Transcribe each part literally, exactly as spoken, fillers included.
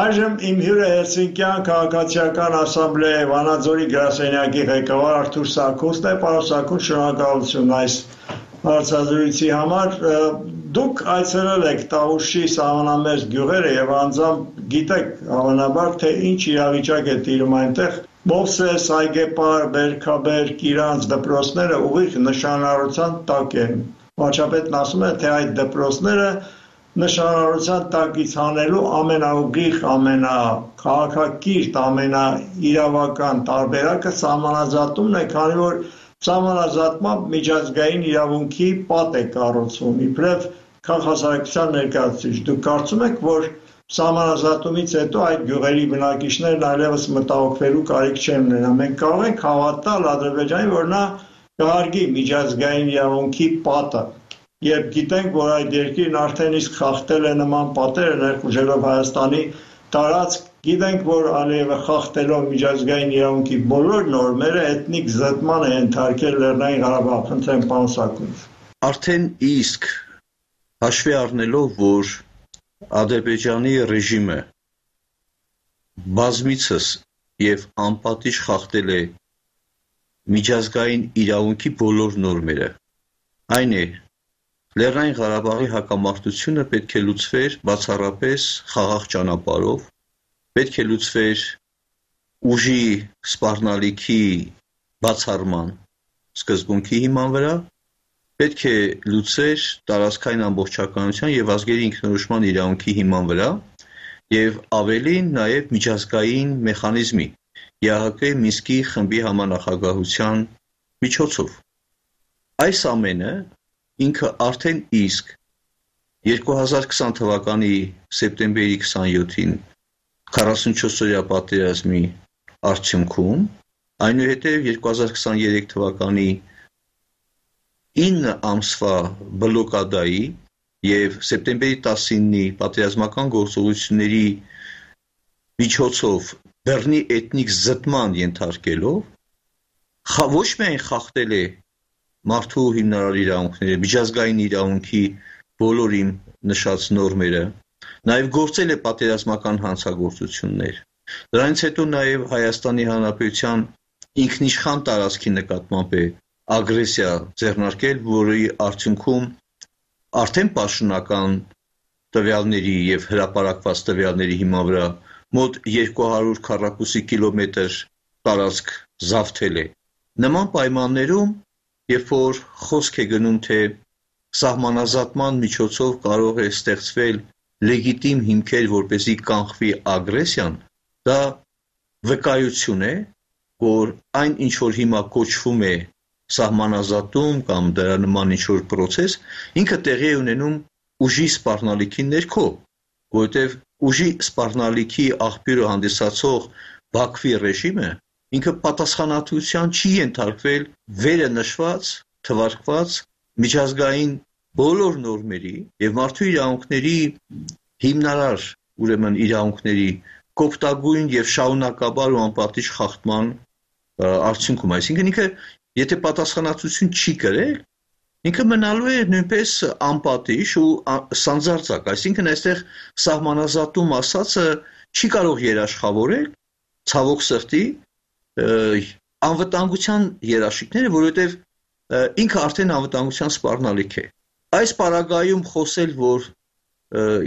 Այժմ իմ հյուրը Հելսինկյան քաղաքացիական ասամբլեայի Վանաձորի գրասենյակի ղեկավար Արթուր Սաքունցն է։ Պարոն Սաքունց, շնորհակալություն այս հարցազրույցի համար։ Դուք այցելել եք Տավուշի սահմանամերձ գյուղերը եւ անձամբ գիտեք հավանաբար, թե ինչ իրավիճակ է տիրում այնտեղ։ Մովսես, Այգեպար, Բերքաբեր, Կիրանց դպրոցները ուղիղ նշանառության տակ են։ Վարչապետն ասում է, թե այդ դպրոցները նշանառության տակից հանելու ամենաուղիղ, ամենաքաղաքակիրթ, ամենաիրավական տարբերակը սահմանազատումն է, քանի որ սահմանազատմամբ միջազգային իրավունքի պատ է կառուցվում, իբրև քաղաքասարակության ներկայացուցիչ։ Դուք կարծում եք, որ սահմանազատումից հետո այդ գյուղերի բնակիչներն այլևս մտահոգվելու կարիք չեն ունենա։ Մենք կարող ենք հավատալ Ադրբեջանին, որ նա կհարգի միջազգային իրավունքի պատը, երբ գիտենք, որ այդ երկիրն արդեն իսկ խախտել է նման պատերը, ներխուժելով Հայաստանի տարածք, գիտենք, որ Ալիևը խախտելով միջազգային իրավունքի բոլոր նորմերը էթնիկ զտման է ենթարկել Լեռնային Ղարաբաղ։ Խնդրեմ, պարոն Սաքունց։ Արդեն իսկ հաշվի առնելով, որ Ադրբեջանի ռեժիմը բազմիցս եւ անպատիժ խախտել է միջազգային իրավունքի բոլոր նորմերը, այն է Լեռնային Ղարաբաղի հակամարտությունը պետք է լուծվեր բացառապես խաղաղ ճանապարհով, պետք է լուծվեր ուժի սպառնալիքի բացառման սկզբունքի հիման վրա, պետք է լուծվեր տարածքային ամբողջականության եւ ազգերի ինքնորոշման իրավունքի հիման վրա եւ ավելին նաեւ միջազգային մեխանիզմի ԵԱՀԿ Մինսկի խմբի համանախագահության միջոցով։ Այս ամենը ինքը արդեն իսկ երկու հազար քսան թվականի սեպտեմբերի քսանյոթին քառասունչորսօրյա պատերազմի արդյունքում, այնուհետև երկու հազար քսաներեք թվականի ինը ամսվա բլոկադայի եւ սեպտեմբերի տասինի պատերազմական գործողությունների միջոցով Բեռնի էթնիկ զտման ենթարկելով ոչ միայն խախտել է մարդու հիմնարար իրավունքները, միջազգային իրավունքի բոլոր իմ նշած նորմերը, նաև գործել է պատերազմական հանցագործություններ։ Դրանից հետո նաև Հայաստանի Հանրապետության ինքնիշխան տարածքի նկատմամբ է ագրեսիա ձեռնարկել, որի արդյունքում արդեն պաշտոնական տվյալների եւ հրապարակված տվյալների հիման վրա մոտ երկու հարյուր քառակուսի կիլոմետր տարածք զավթել է։ Նման պայմաններում Երբ որ խոսք է գնում, թե սահմանազատման միջոցով կարող է ստեղծվել լեգիտիմ հիմքեր, որպեսզի կանխվի ագրեսիան, դա վկայություն է, որ այն ինչ որ հիմա կոչվում է սահմանազատում կամ դրա նման ինչ որ process, ինքը տեղի է ունենում ուժի սպառնալիքի ներքո, որովհետև ուժի սպառնալիքի աղբյուրը հանդիսացող Բաքվի ռեժիմը ինքը պատասխանատվության չի ենթարկվել վերը նշված, թվարկված միջազգային բոլոր նորմերի եւ մարդու իրավունքների հիմնարար, ուրեմն իրավունքների կոպտագույն եւ շարունակաբար ու անպատիժ խախտման արդյունքում, այսինքն ինքը եթե պատասխանատվություն չի կրել, ինքը մնալու է նույնպես անպատիժ ու սանձարձակ, այսինքն այստեղ սահմանազատում ասածը չի կարող երաշխավորել ցավոք սրտի անվտանգության երաշխիքները, որովհետև ինքը արդեն անվտանգության սպառնալիք է։ Այս պարագայում խոսել, որ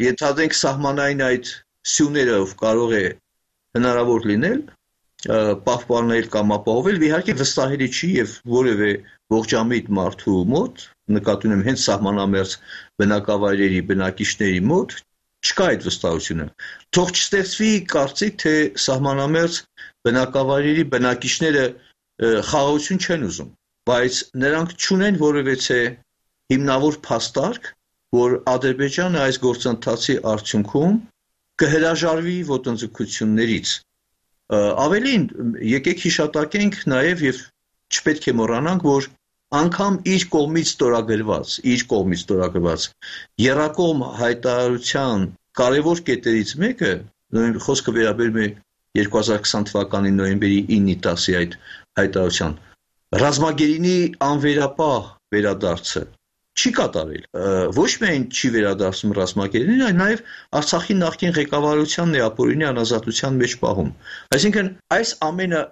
ենթադրենք սահմանային այդ սյուներով կարող է հնարավոր լինել պահպանել կամ ապահովել, իհարկե վստահելի չի եւ որևէ ողջամիտ մարդու մոտ, նկատի ունեմ հենց սահմանամերձ բնակավայրերի բնակիչների մոտ, չկա այդ վստահությունը։ Թող չստեղծվի կարծիք, թե սահմանամերձ բնակավայրերի բնակիչները խաղաղություն չեն ուզում, բայց նրանք չունեն որևէ հիմնավոր փաստարկ, որ Ադրբեջանը այս գործընթացի արդյունքում կհրաժարվի ոտնձգություններից։ Ավելին, եկեք հիշատակենք նաև եւ չպետք է մոռանանք, որ անգամ իր կողմից ստորագրված, իր կողմից ստորագրված երակողմ հայտարարության կարևոր կետերից մեկը, նույն խոսքը վերաբերում է երկու հազար քսան թվականի նոյեմբերի ինը տասի այդ հայտարարության, ռազմագերինի անվերապահ վերադարձը չի կատարել։ Ոչ միայն չի վերադարձնում ռազմագերին, այլ նաև Արցախի նախկին ղեկավարությանն է ապօրինի անազատության մեջ պահում։ Այսինքն այս ամենը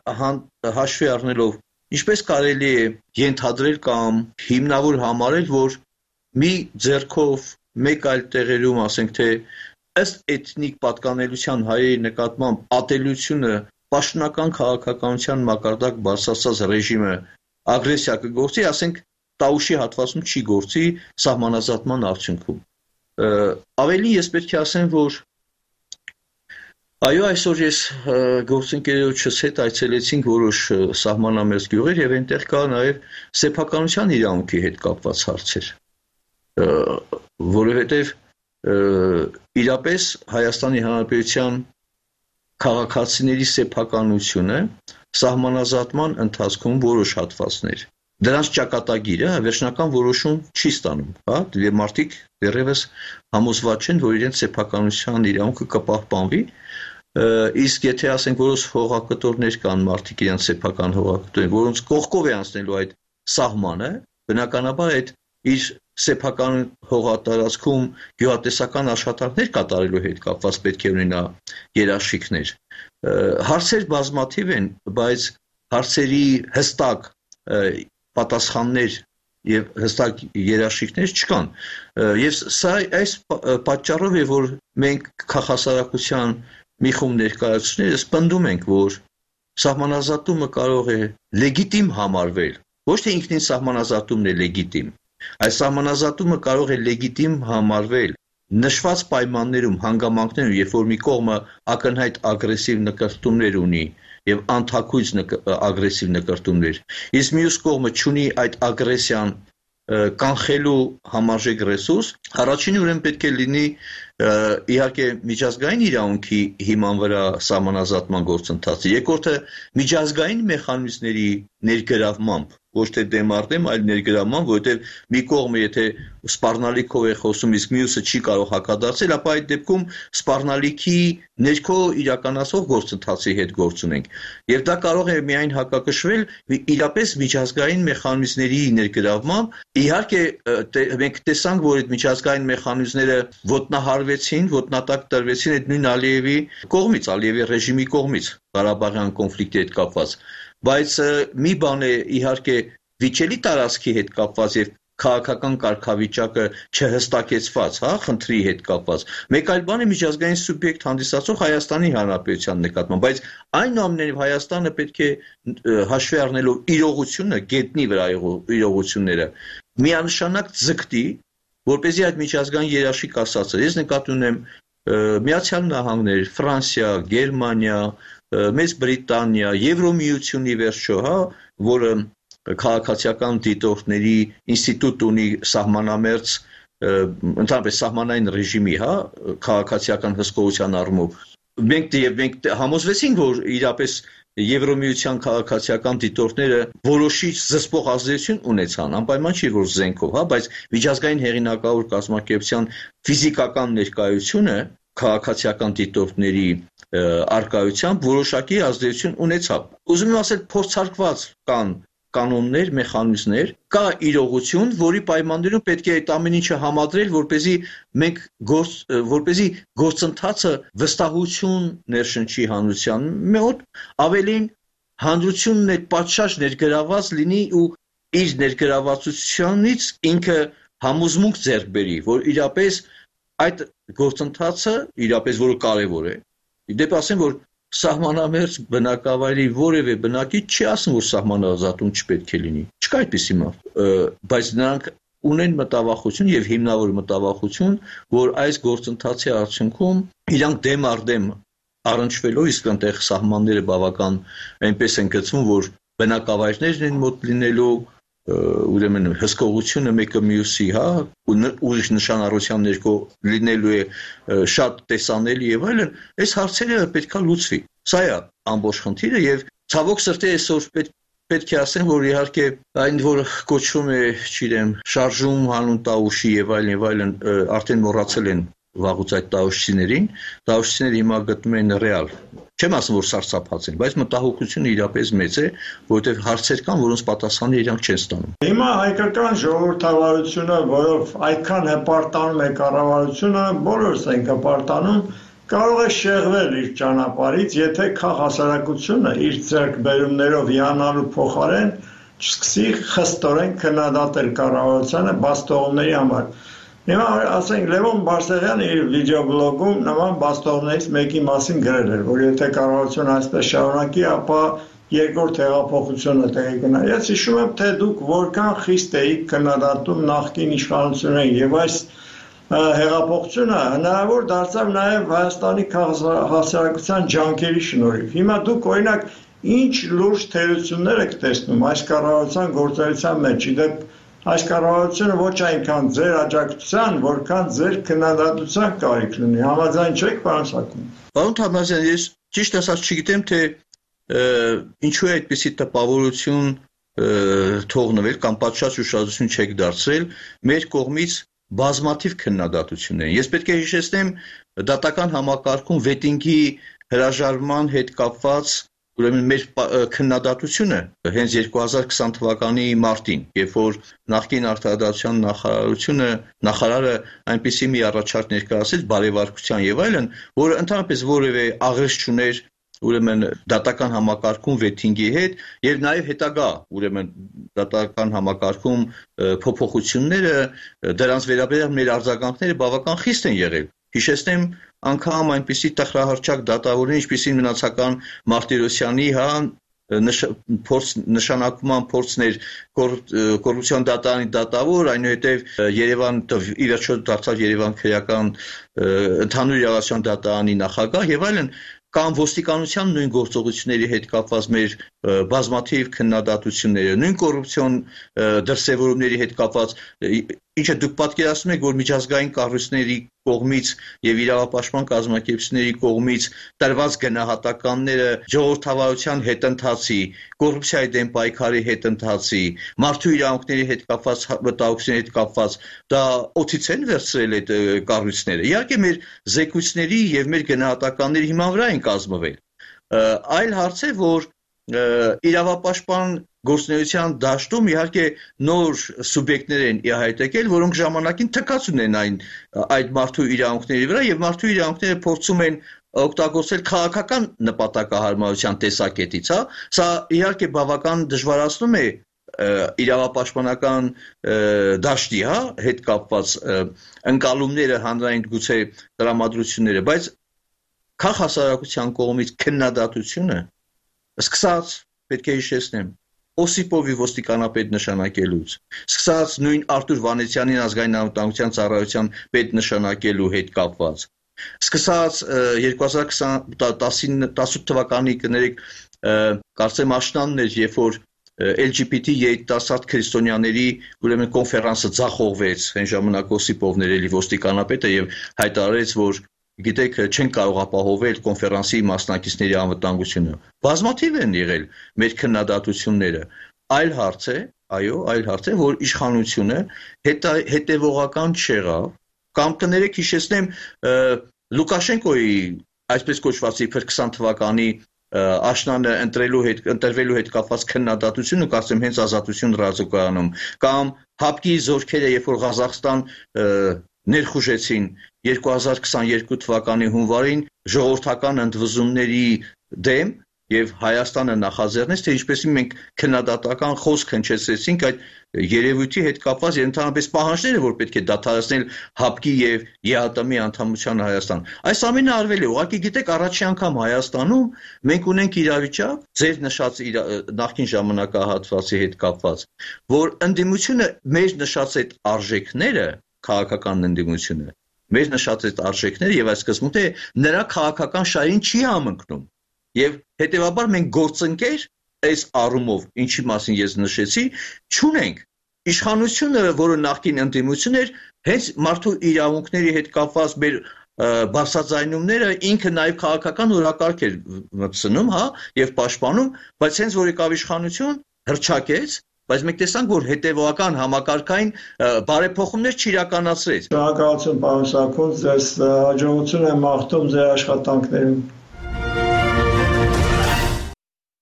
հաշվի առնելով ինչպես կարելի է ենթադրել կամ հիմնավոր համարել, որ մի ձեռքով մեկ այլ տեղերում, ասենք թե ըստ էթնիկ պատկանելության հայերի նկատմամբ ատելությունը պաշտոնական քաղաքականության մակարդակ բարձրացած ռեժիմը ագրեսիա կգործի, ասենք Տաուշի հատվածում չի գործի սահմանազատման արդյունքում։ Ավելի ես պետք է ասեմ, որ այո, այսօր ես գործընկերոջս հետ այցելեցինք որոշ սահմանամերձ գյուղեր եւ այնտեղ կա նաեւ սեփականության իրավունքի հետ կապված հարցեր, որովհետեւ իրապես Հայաստանի Հանրապետության քաղաքացիների սեփականությունը սահմանազատման ընթացքում որոշ հատվածներ դրանց ճակատագիրը վերջնական որոշում չի ստանում, հա, եւ մարդիկ դեռևս համոզված չեն, որ իրենց սեփականության իրավունքը կպահպանվի, իսկ եթե ասենք որոշ հողակտորներ կան, մարդիկ իրենց սեփական հողակտորներ, որոնց կողքով է անցնելու այդ սահմանը, բնականաբար այդ իր սեփական հողատարածքում գյուղատնտեսական աշխատանքներ կատարելու հետ կապված պետք է ունենա երաշխիքներ։ Հարցեր բազմաթիվ են, բայց հարցերի հստակ պատասխաններ եւ հստակ երաշխիքներ չկան եւ սա այս պատճառով է որ մենք քաղաքասարակության մի խումբ ներկայացուցիչներս պնդում ենք որ սահմանազատումը կարող է լեգիտիմ համարվել ոչ թե ինքնին սահմանազատումն է լեգիտիմ այս սահմանազատումը կարող է լեգիտիմ համարվել նշված պայմաններում հանգամանքներում երբ որ մի կողմը ակնհայտ ագրեսիվ նկարտումներ ունի եւ անթաքույց ագրեսիվ նկարտումներ իսկ մյուս կողմը չունի այդ ագրեսիան կանխելու համարժեք ռեսուրս առաջինը ուրեմն պետք է լինի իհարկե միջազգային իրավունքի հիման վրա սահմանազատման գործընթացը երկրորդը միջազգային մեխանիզմների ներգրավմամբ ոչ թե դեմ առ դեմ այլ ներգրավմամբ որովհետեւ մի կողմը եթե սպառնալիքով է խոսում իսկ մյուսը չի կարող հակադարձել ապա այդ դեպքում սպառնալիքի ներքո իրականացող գործընթացի հետ գործ ունենք եւ դա կարող է միայն հակակշռել իրապես միջազգային մեխանիզմների ներգրավմամբ իհարկե մենք տեսանք որ այդ միջազգային մեխանիզմները ոտնահարվեցին ոտնատակ տրվեցին այդ նույն Ալիևի կողմից Ալիևի ռեժիմի կողմից Ղարաբաղյան կոնֆլիկտի հետ կապված բայց մի բան է իհարկե վիճելի տարածքի հետ կապված եւ քաղաքական կարգավիճակը չհստակեցված, հա, խնդրի հետ կապված։ Մեկ այլ բան է միջազգային սուբյեկտ հանդիսացող Հայաստանի Հանրապետության նկատմամբ, բայց այնուամենայնիվ Հայաստանը պետք է հաշվի առնելով իրողությունը, գետնի վրա իրողությունները, միանշանակ ձգտի, որպեսզի այդ միջազգային երաշխիք ասածը, ես նկատի ունեմ Միացյալ Նահանգներ, Ֆրանսիա, Գերմանիա, Մեծ Բրիտանիա, Եվրոմիությունի վերջո, հա, որը քաղաքացիական դիտորդների ինստիտուտ ունի սահմանամերձ ընդհանրապես սահմանային ռեժիմի, հա, քաղաքացիական հսկողության առումով։ Մենք եւ մենք համոզվեցինք, որ իրապես Եվրոմիության քաղաքացիական դիտորդները որոշիչ զսպող ազդեցություն ունեցան, անպայման չի որ զենքով, հա, բայց միջազգային հեղինակավոր կազմակերպության ֆիզիկական ներկայությունը քաղաքացիական դիտորդների արկայությամբ որոշակի ազդեցություն ունեցավ։ Ուզում եմ ասել, փորձարկված կան կանոններ, մեխանիզմներ, կա իրողություն, որի պայմաններում պետք է այդ ամեն ինչը համադրել, որպեսզի մենք գործ, որպեսզի գործընթացը վստահություն ներշնչի հանրության մոտ, ավելին հանրությունն այդ պատշաճ ներգրաված լինի ու իր ներգրավվածությունից ինքը համոզմունք ձեռք բերի, որ իրապես այդ գործընթացը իրապես որը կարևոր է։ Իդեպ ասեմ, որ սահմանամերձ բնակավայրի որևէ բնակիչ չի ասում, որ սահմանազատում չպետք է լինի։ Չկա այդպիսի մարդ, բայց նրանք ունեն մտավախություն եւ հիմնավոր մտավախություն, որ այս գործընթացի արդյունքում իրանք դեմ առ դեմ առնչվելով իսկ այնտեղ սահմանները բավական այնպես են գծվում, որ բնակավայրներն են մոտ լինելու ուրեմն հսկողությունը մեկը մյուսի, հա, ուրիշ նշանառության ներքո լինելու է շատ տեսանելի եւ այլն, այս հարցերը պետքա լուծվի։ Սա է ամբողջ խնդիրը եւ ցավոք սրտի այսօր պետք պետք է ասեմ, որ իհարկե այն որ կոչվում է, չգիտեմ, շարժում հանուն Տաուշի եւ այլն եւ այլն արդեն մոռացել են վաղուց այդ տաուշիներին, տաուշիները հիմա գտնում են ռեալ Չեմ ասում, որ սարսափած են, բայց մտահոգությունը իրապես մեծ է, որովհետև հարցեր կան, որոնց պատասխանը իրանք չեն ստանում։ Հիմա հայկական ժողովրդավարությունը, որով այդքան հպարտանում է կառավարությունը, բոլորս ենք հպարտանում, կարող է շեղվել իր ճանապարհից, եթե քաղաքասարակությունը իր ձեռքբերումներով հիանալու փոխարեն չսկսի խստորեն քննադատել կառավարությանը բաստողների համար։ Հիմա ասենք Լևոն Բարսեղյանը իր վիդեոբլոգում նման բաստողներից մեկի մասին գրել էր, որ եթե կառավարությունը այսպես շարունակի, ապա երկրորդ հեղափոխությունը տեղի կունենա։ Ես հիշում եմ, թե դուք որքան խիստ էիք քննադատում նախկին իշխանություններին եւ այս հեղափոխությունը հնարավոր դարձավ նաև Հայաստանի հասարակության ջանքերի շնորհիվ։ Հիմա դուք օրինակ ինչ լուրջ թերություններ եք տեսնում այս կառավարության գործունեության մեջ, իդեպ այս կառավարությունը ոչ այնքան ձեր աջակցության, որքան ձեր քննադատության կարիք ունի։ Համաձայն չեք, պարոն Սաքուն։ Պարոն Թամազյան, ես ճիշտ ասած չգիտեմ, թե ինչու է այդպիսի տպավորություն թողնվել կամ պատշաճ ուշադրություն չեք դարձրել մեր կողմից բազմաթիվ քննադատություններ։ Ես պետք է հիշեցնեմ դատական համակարգում վետինգի հրաժարման հետ կապված ուրեմն մեր քննադատությունը հենց երկու հազար քսան թվականի մարտին, երբ որ նախկին արտադրության նախարարությունը նախարարը այնպիսի մի առաջարկ ներկայացրեց բարեվարկության եւ այլն, որը ընդհանրապես որևէ աղերս չուներ ուրեմն դատական համակարգում վեթինգի հետ եւ նաեւ հետագա ուրեմն դատական համակարգում փոփոխությունները դրանց վերաբերյալ մեր արձագանքները բավական խիստ են եղել։ Հիշեցնեմ անգամ այնպիսի տխրահարճակ դատավորներ, ինչպիսին մնացական Մարտիրոսյանի, հա, փորձ նշանակման փորձներ կոռուպցիոն դատարանի դատավոր, այնուհետև Երևան ի վերջո դարձավ Երևան քրեական ընդհանուր իրավասության դատարանի նախագահ եւ այլն, կամ ոստիկանության նույն գործողությունների հետ կապված մեր բազմաթիվ քննադատությունները, նույն կոռուպցիոն դրսևորումների հետ կապված, ինչը դուք պատկերացնում եք, որ միջազգային կառույցների կողմից եւ իրավապաշտպան կազմակերպությունների կողմից տրված գնահատականները ժողովրդավարության հետընթացի, կոռուպցիայի դեմ պայքարի հետընթացի, մարդու իրավունքների հետ կապված մտահոգությունների հետ կապված, դա օծից են վերցրել այդ կառույցները։ Իհարկե մեր զեկույցների եւ մեր գնահատականների հիման վրա են կազմվել։ Այլ հարց է, որ իրավապաշտպան գործունեության դաշտում իհարկե նոր սուբյեկտներ են հայտեկել, որոնք ժամանակին թքած ունեն այն այդ մարդու իրավունքների վրա եւ մարդու իրավունքները փորձում են օգտագործել քաղաքական նպատակահարմարության տեսակետից, հա, սա իհարկե բավական դժվարացնում է իրավապաշտպանական դաշտի, հա, հետ կապված ընկալումները, հանրային գուցե տրամադրությունները, բայց քաղաքասարակության կողմից քննադատությունը սկսած, պետք է հիշեցնեմ, Օսիպովի ոստիկանապետ նշանակելուց, սկսած նույն Արտուր Վանեցյանին ազգային անվտանգության ծառայության պետ նշանակելու հետ կապված, սկսած երկու հազար տասնութ թվականի կներեք, կարծեմ աշնանն էր, երբ որ L G B T երիտասարդ քրիստոնյաների ուրեմն կոնֆերանսը ձախողվեց, այն ժամանակ Օսիպովն էր էլի ոստիկանապետը եւ հայտարարեց, որ գիտեք, չեն կարող ապահովել կոնֆերանսի մասնակիցների անվտանգությունը։ Բազմաթիվ են եղել մեր քննադատությունները։ Այլ հարց է, այո, այլ հարց է, որ իշխանությունը հետևողական չեղավ, կամ կներեք հիշեցնեմ Լուկաշենկոյի այսպես կոչված իբր քսան թվականի աշնանը ընտրելու հետ ընտրվելու հետ կապված քննադատությունը, կարծեմ հենց Ազատություն ռադիոկայանում, կամ հապկի զորքերը, երբ որ Ղազախստան ներխուժեցին երկու հազար քսաներկու թվականի հունվարին ժողովրդական ընդվզումների դեմ եւ Հայաստանը նախաձեռնեց, թե ինչպեսի մենք քննադատական խոսք հնչեցրեցինք այդ երևույթի հետ կապված եւ ընդհանրապես պահանջները, որ պետք է դադարեցնել հապկի եւ Ե Հ Տ Մի անդամության Հայաստան։ Այս ամենը արվել է, ուղղակի գիտեք, առաջին անգամ Հայաստանում մենք ունենք իրավիճակ, ձեր նշած նախկին ժամանակահատվածի հետ կապված, որ ընդդիմությունը մեր նշած այդ արժեքները, քաղաքական ընդդիմությունը, մեր նշած այդ արժեքները եւ այս սկզբունքը նրա քաղաքական շահին չի համընկնում։ Եվ հետեւաբար մենք գործընկեր այս առումով, ինչի մասին ես նշեցի, չունենք։ Իշխանությունը, որը նախկին ընդդիմություն էր, հենց մարդու իրավունքների հետ կապված մեր բարձրաձայնումները ինքը նաև քաղաքական օրակարգ էր մտցնում, հա, եւ պաշտպանում, բայց հենց որ եկավ իշխանություն, հրճակեց, բայց մենք տեսանք, որ հետևողական համակարգային բարեփոխումներ չիրականացրեց։ Շնորհակալություն, պարոն Սաքուն, ձեզ հաջողություն եմ մաղթում ձեր աշխատանքներում։